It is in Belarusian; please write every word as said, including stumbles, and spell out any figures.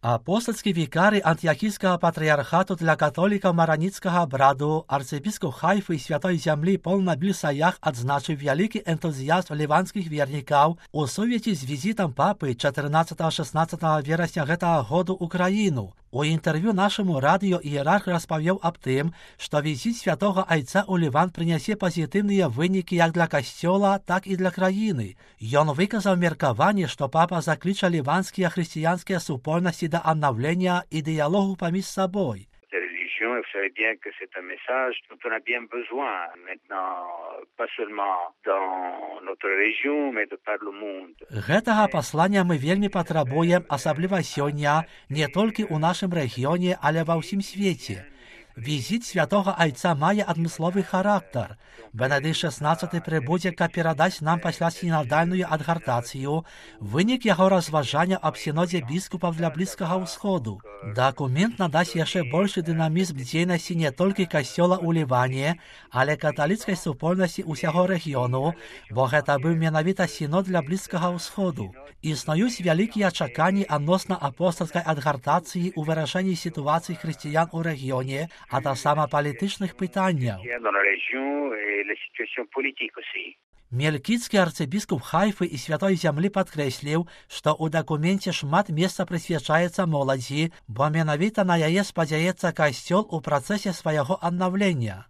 Апостольські вікари Антіохійського патріархату для католіків Мароніцького браду, арцебіскоп Хайфи і Святої Землі Пол Набіль Саях відзначив великий ентузіазм ліванських вірників у сув'язі з візитом папи чотирнадцятого-шістнадцятого вересня цього року в Україну. У інтерв'ю нашому радіо ієрарх розповів об тим, що візит Святого Отця у Ліван принесе позитивні виники як для Костьола, так і для країни. Він виказав міркування, що папа закличе ліванські християнські супольності до оновлення і діалогу поміж собою. Vous savez bien que c'est un message dont on a bien besoin maintenant, pas seulement dans notre région, mais de par le monde. Гэтага паслання мы вельмі патрабуем, асабліва сёння, не толькі ў нашым рэгіёне, але ва ўсім свеце. Візит Святого Отця має адмысловы характар. Бенедикт шестнадцатый прибудзе, каб перадаць нам пасля сінодальную адгартацыю вынік яго разважання аб сінодзе біскупаў для Блізкага ўсходу. Дакумент надасць яшчэ большы дынамізм дзейнасці не толькі касцёла ў Ліване, але каталіцкай супольнасці ўсяго рэгіёну, бо гэта быў менавіта сінод для Блізкага ўсходу. Існуюць вялікія чаканні адносна апостальскай адгартацыі ў вырашэнні сітуацыі хрысціян у рэгіёне, а таксама палітычных пытанняў. Мелькіцкі арцыбіскуп Хайфы і Святой Зямлі падкрэсліў, што ў дакуменце шмат месца прысвячаецца моладзі, бо менавіта на яе спадзяецца касцёл у працэсе свайго аднаўлення.